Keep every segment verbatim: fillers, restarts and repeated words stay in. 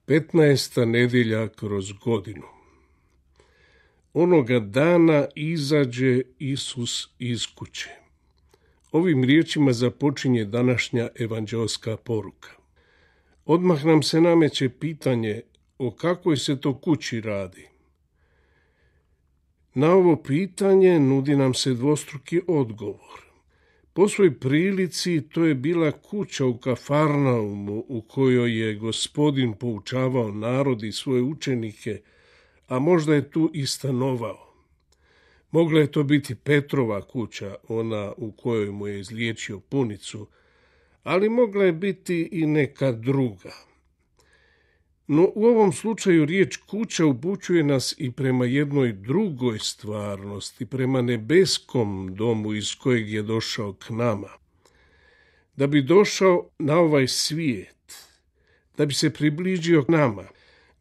Petnaesta nedjelja kroz godinu. Onoga dana izađe Isus iz kuće. Ovim riječima započinje današnja evanđelska poruka. Odmah nam se nameće pitanje o kakvoj se to kući radi. Na ovo pitanje nudi nam se dvostruki odgovor. Po svoj prilici to je bila kuća u Kafarnaumu u kojoj je Gospodin poučavao narod i svoje učenike, a možda je tu i stanovao. Mogla je to biti Petrova kuća, ona u kojoj mu je izliječio punicu, ali mogla je biti i neka druga. No u ovom slučaju riječ kuća upućuje nas i prema jednoj drugoj stvarnosti, prema nebeskom domu iz kojeg je došao k nama. Da bi došao na ovaj svijet, da bi se približio k nama,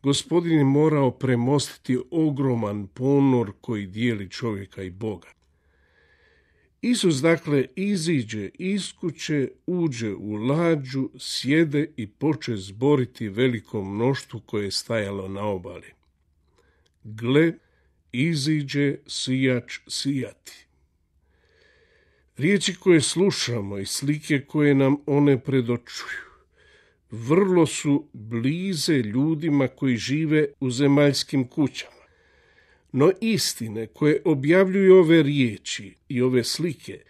Gospodin je morao premostiti ogroman ponor koji dijeli čovjeka i Boga. Isus dakle iziđe iz kuće, uđe u lađu, sjede i poče zboriti veliko mnoštvo koje je stajalo na obali. Gle, iziđe sijač sijati. Riječi koje slušamo i slike koje nam one predočuju vrlo su blize ljudima koji žive u zemaljskim kućama. No istine koje objavljuju ove riječi i ove slike,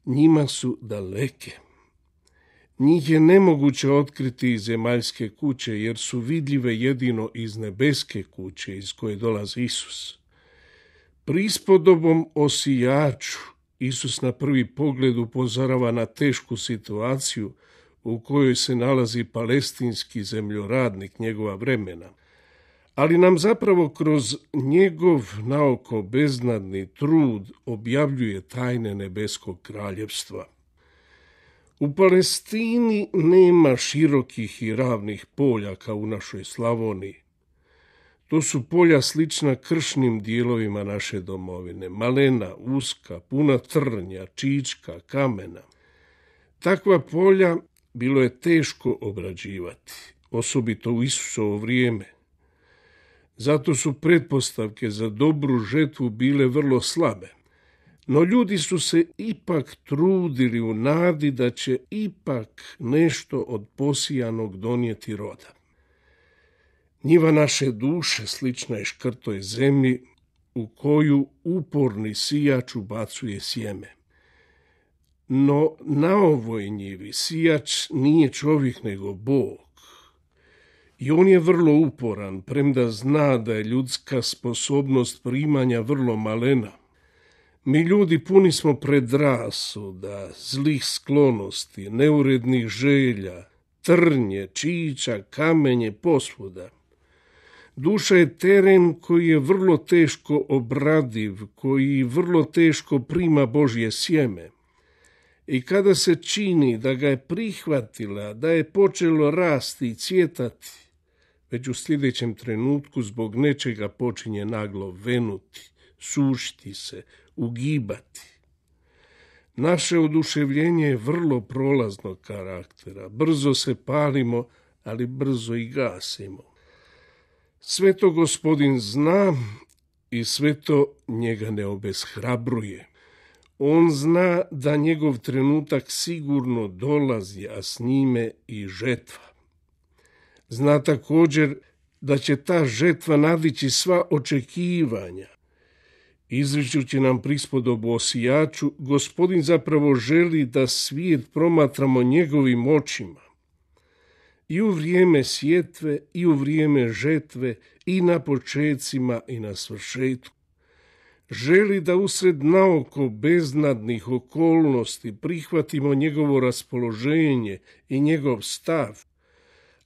njima su daleke. Njih je nemoguće otkriti iz zemaljske kuće, jer su vidljive jedino iz nebeske kuće iz koje dolazi Isus. Prispodobom o sijaču, Isus na prvi pogled upozorava na tešku situaciju u kojoj se nalazi palestinski zemljoradnik njegova vremena, ali nam zapravo kroz njegov naoko beznadni trud objavljuje tajne nebeskog kraljevstva. U Palestini nema širokih i ravnih polja kao u našoj Slavoniji. To su polja slična kršnim dijelovima naše domovine, malena, uska, puna trnja, čička, kamena. Takva polja bilo je teško obrađivati, osobito u Isusovo vrijeme. Zato su pretpostavke za dobru žetvu bile vrlo slabe. No ljudi su se ipak trudili u nadi da će ipak nešto od posijanog donijeti roda. Njiva naše duše slična je škrtoj zemlji u koju uporni sijač ubacuje sjeme. No na ovoj njivi sijač nije čovjek nego Bog. I on je vrlo uporan, premda zna da je ljudska sposobnost primanja vrlo malena. Mi ljudi puni smo predrasuda, zlih sklonosti, neurednih želja, trnje, čiča, kamenje, posvuda. Duša je teren koji je vrlo teško obradiv, koji vrlo teško prima Božje sjeme. I kada se čini da ga je prihvatila, da je počelo rasti i cvjetati, već u sljedećem trenutku zbog nečega počinje naglo venuti, sušiti se, ugibati. Naše oduševljenje je vrlo prolaznog karaktera. Brzo se palimo, ali brzo i gasimo. Sve to Gospodin zna i sve to njega ne obeshrabruje. On zna da njegov trenutak sigurno dolazi, a s njime i žetva. Zna također da će ta žetva nadići sva očekivanja. Izričući nam prispodobu o sijaču, Gospodin zapravo želi da svijet promatramo njegovim očima. I u vrijeme sjetve, i u vrijeme žetve, i na počecima, i na svršetku. Želi da usred naoko beznadnih okolnosti prihvatimo njegovo raspoloženje i njegov stav,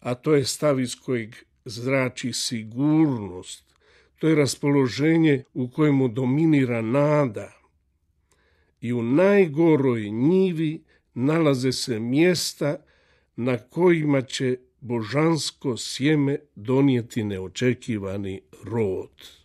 a to je stav iz kojeg zrači sigurnost. To je raspoloženje u kojemu dominira nada. I u najgoroj njivi nalaze se mjesta na kojima će božansko sjeme donijeti neočekivani rod.